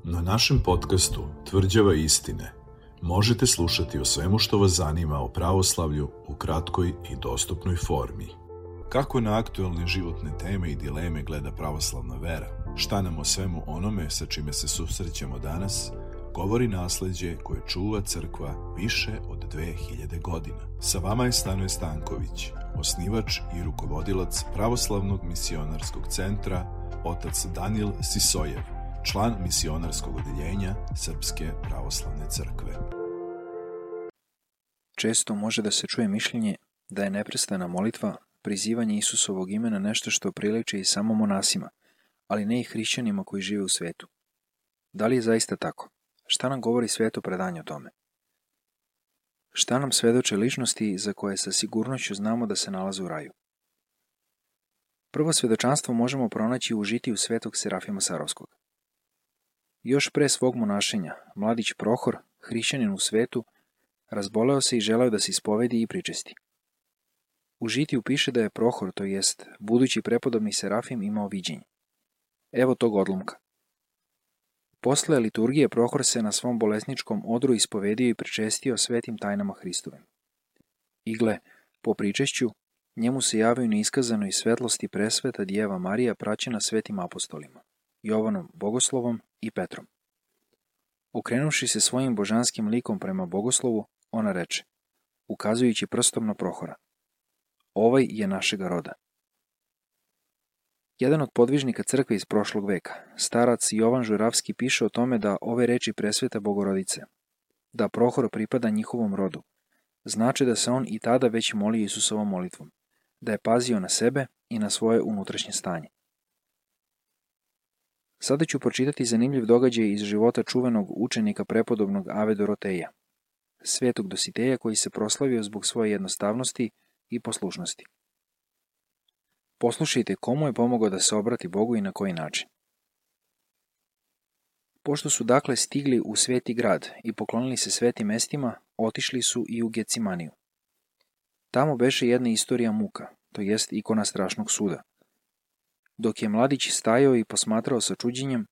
Na našem podcastu Tvrđava istine možete slušati o svemu što vas zanima o pravoslavlju u kratkoj i dostupnoj formi. Kako na aktuelne životne teme i dileme gleda pravoslavna vera? Šta nam o svemu onome sa čime se susrećemo danas govori nasleđe koje čuva crkva više od 2000 godina. Sa vama je Stanoje Stanković, osnivač i rukovodilac Pravoslavnog misionarskog centra, otac Danijel Sisojev, član misionarskog odeljenja Srpske pravoslavne crkve. Često može da se čuje mišljenje da je neprestana molitva, prizivanje Isusovog imena nešto što priliči i samo monasima, ali ne i hrišćanima koji žive u svetu. Da li je zaista tako? Šta nam govori sveto predanje o tome? Šta nam svedoče ličnosti za koje sa sigurnošću znamo da se nalaze u raju? Prvo svedočanstvo možemo pronaći u žitiju svetog Serafima Sarovskog. Još pre svog monašenja, mladić Prohor, hrišćanin u svetu, razboleo se i želeo da se ispovedi i pričesti. U žitiju piše da je Prohor, to jest budući prepodobni Serafim, imao viđenje. Evo tog odlomka. Posle liturgije Prohor se na svom bolesničkom odru ispovedio i pričestio svetim tajnama Hristovim. I gle, po pričešću, njemu se javio neiskazanoj svetlosti presveta Djeva Marija praćena svetim apostolima, Jovanom Bogoslovom i Petrom. Okrenuvši se svojim božanskim likom prema Bogoslovu, ona reče, ukazujući prstom na Prohora, ovaj je našega roda. Jedan od podvižnika crkve iz prošlog veka, starac Jovan Žuravski, piše o tome da ove reči presveta Bogorodice, da Prohor pripada njihovom rodu, znači da se on i tada već molio Isusovom molitvom, da je pazio na sebe i na svoje unutrašnje stanje. Sada ću pročitati zanimljiv događaj iz života čuvenog učenika prepodobnog Ave Doroteja, svetog Dositeja koji se proslavio zbog svoje jednostavnosti i poslušnosti. Poslušajte komu je pomogao da se obrati Bogu i na koji način. Pošto su dakle stigli u sveti grad i poklonili se svetim mestima, otišli su i u Gecimaniju. Tamo beše jedna istorija muka, to jest ikona strašnog suda. Dok je mladić stajao i posmatrao sa čuđenjem,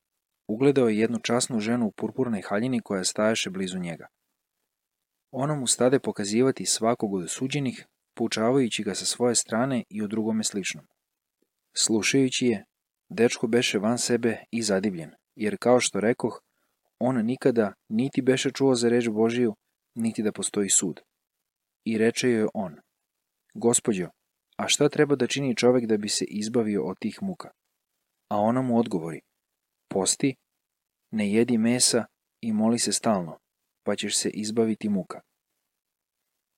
ugledao je jednu časnu ženu u purpurnoj haljini koja stajaše blizu njega. Ona mu stade pokazivati svakog od osuđenih, poučavajući ga sa svoje strane i o drugome sličnom. Slušajući je, dečko beše van sebe i zadivljen, jer kao što rekoh, on nikada niti beše čuo za reč Božiju, niti da postoji sud. I reče joj on, Gospođo, a šta treba da čini čovek da bi se izbavio od tih muka? A ona mu odgovori, posti, ne jedi mesa i moli se stalno, pa ćeš se izbaviti muka.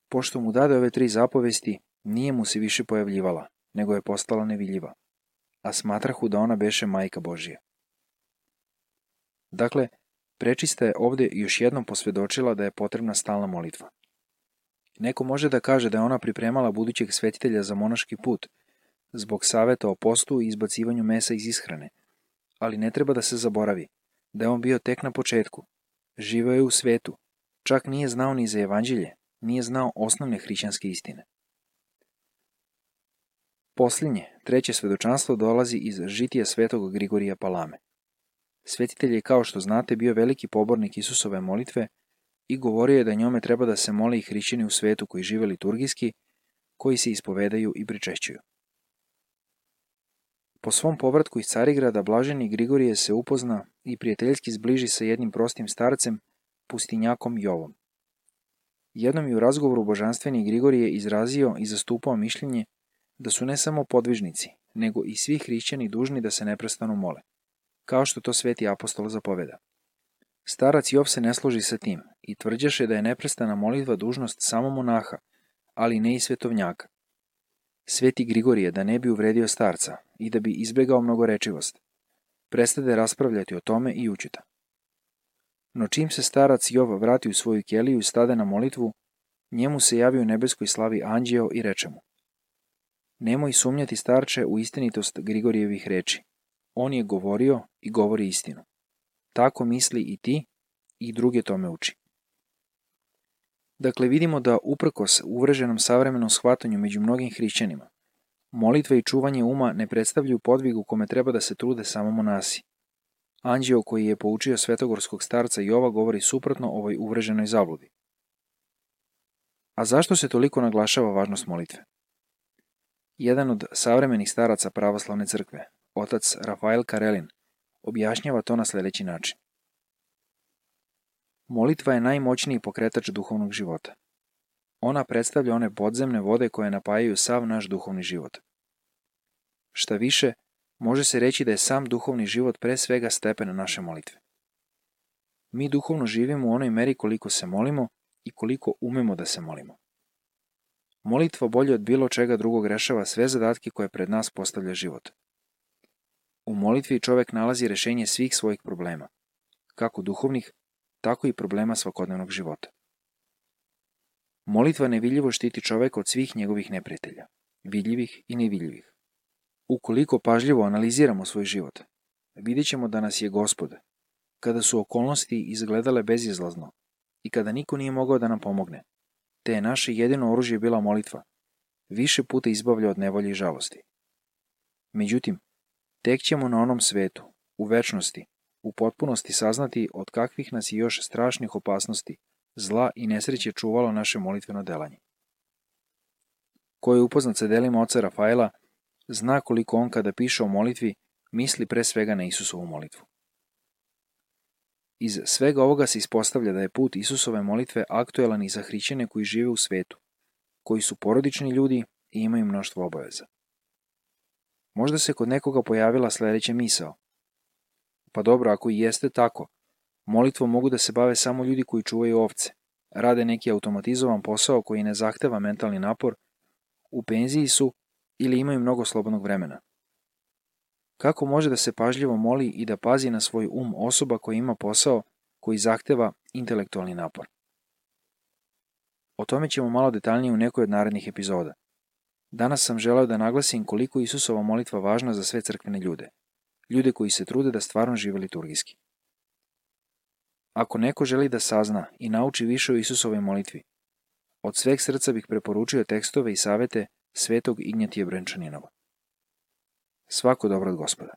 Pošto mu dade ove 3 zapovesti, nije mu se više pojavljivala, nego je postala nevidljiva, a smatrahu da ona beše majka Božija. Dakle, prečista je ovde još jednom posvedočila da je potrebna stalna molitva. Neko može da kaže da je ona pripremala budućeg svetitelja za monaški put, zbog saveta o postu i izbacivanju mesa iz ishrane, ali ne treba da se zaboravi da je on bio tek na početku, živeo je u svetu, čak nije znao ni za evanđelje, nije znao osnovne hrišćanske istine. Posljednje, 3. svedočanstvo dolazi iz žitija svetog Grigorija Palame. Svetitelj je, kao što znate, bio veliki pobornik Isusove molitve i govorio je da njome treba da se mole i hrišćani u svetu koji žive liturgijski, koji se ispovedaju i pričešćuju. Po svom povratku iz Carigrada blaženi Grigorije se upozna i prijateljski zbliži sa jednim prostim starcem, pustinjakom Jovom. Jednom je u razgovoru božanstveni Grigorije izrazio i zastupao mišljenje da su ne samo podvižnici, nego i svi hrišćani dužni da se neprestano mole, kao što to sveti apostol zapoveda. Starac Jov se ne složi sa tim i tvrđaše da je neprestana molitva dužnost samo monaha, ali ne i svetovnjaka. Sveti Grigorije, da ne bi uvredio starca i da bi izbegao mnogorečivost, prestade raspravljati o tome i učita. No čim se starac Jov vrati u svoju keliju i stade na molitvu, njemu se javi u nebeskoj slavi anđeo i reče mu, nemoj sumnjati, starče, u istinitost Grigorijevih reči. On je govorio i govori istinu. Tako misli i ti i druge tome uči. Dakle, vidimo da uprkos uvreženom savremenom shvatanju među mnogim hrišćanima, molitva i čuvanje uma ne predstavljaju podvig u kome treba da se trude samo monasi, Anđeo koji je poučio svetogorskog starca Jova govori suprotno ovoj uvreženoj zabludi. A zašto se toliko naglašava važnost molitve? Jedan od savremenih staraca pravoslavne crkve, otac Rafael Karelin, objašnjava to na sljedeći način. Molitva je najmoćniji pokretač duhovnog života. Ona predstavlja one podzemne vode koje napajaju sav naš duhovni život. Šta više, može se reći da je sam duhovni život pre svega stepen naše molitve. Mi duhovno živimo u onoj meri koliko se molimo i koliko umemo da se molimo. Molitva bolje od bilo čega drugog rešava sve zadatke koje pred nas postavlja život. U molitvi čovek nalazi rešenje svih svojih problema, kako duhovnih, tako i problema svakodnevnog života. Molitva nevidljivo štiti čoveka od svih njegovih neprijatelja, vidljivih i nevidljivih. Ukoliko pažljivo analiziramo svoj život, vidjet ćemo da nas je Gospod, kada su okolnosti izgledale bezizlazno i kada niko nije mogao da nam pomogne, te je naše jedino oružje bila molitva, više puta izbavlja od nevolje i žalosti. Međutim, tek ćemo na onom svetu, u večnosti, u potpunosti saznati od kakvih nas je još strašnih opasnosti, zla i nesreće čuvalo naše molitveno delanje. Ko je upoznat sa delima oca Rafaela, zna koliko on kada piše o molitvi, misli pre svega na Isusovu molitvu. Iz svega ovoga se ispostavlja da je put Isusove molitve aktuelan i za hrišćane koji žive u svetu, koji su porodični ljudi i imaju mnoštvo obaveza. Možda se kod nekoga pojavila sledeća misao. Pa dobro, ako i jeste tako, molitvom mogu da se bave samo ljudi koji čuvaju ovce, rade neki automatizovan posao koji ne zahteva mentalni napor, u penziji su ili imaju mnogo slobodnog vremena. Kako može da se pažljivo moli i da pazi na svoj osoba koja ima posao koji zahteva intelektualni napor? O tome ćemo malo detaljnije u nekoj od narednih epizoda. Danas sam želeo da naglasim koliko je Isusova molitva važna za sve crkvene ljude, ljude koji se trude da stvarno žive liturgijski. Ako neko želi da sazna i nauči više o Isusovoj molitvi, od sveg srca bih preporučio tekstove i savete svetog Ignjatija Brenčaninova. Svako dobro od Gospoda.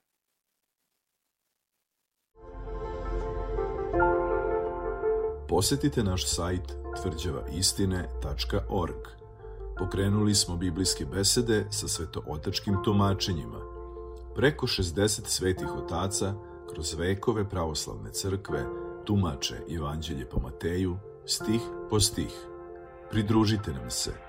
Posetite naš sajt tvrđavaistine.org. Pokrenuli smo biblijske besede sa svetootačkim tumačenjima. Preko 60 svetih otaca kroz vekove pravoslavne crkve tumače Evanđelje po Mateju, stih po stih. Pridružite nam se.